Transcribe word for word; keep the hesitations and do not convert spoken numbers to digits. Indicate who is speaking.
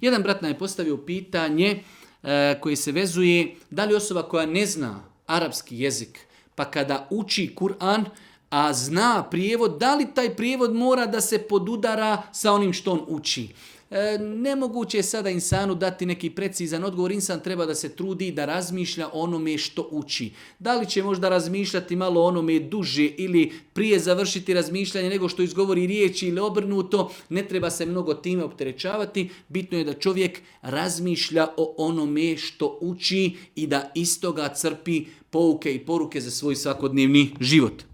Speaker 1: Jedan brat nam je postavio pitanje e, koje se vezuje da li osoba koja ne zna arapski jezik, pa kada uči Kur'an, a zna prijevod, da li taj prijevod mora da se podudara sa onim što on uči? E, nemoguće je sada insanu dati neki precizan odgovor. Insan treba da se trudi da razmišlja o onome što uči. Da li će možda razmišljati malo o onome duže ili prije završiti razmišljanje nego što izgovori riječi ili obrnuto, ne treba se mnogo time opterećavati. Bitno je da čovjek razmišlja o onome što uči i da iz toga crpi pouke i poruke za svoj svakodnevni život.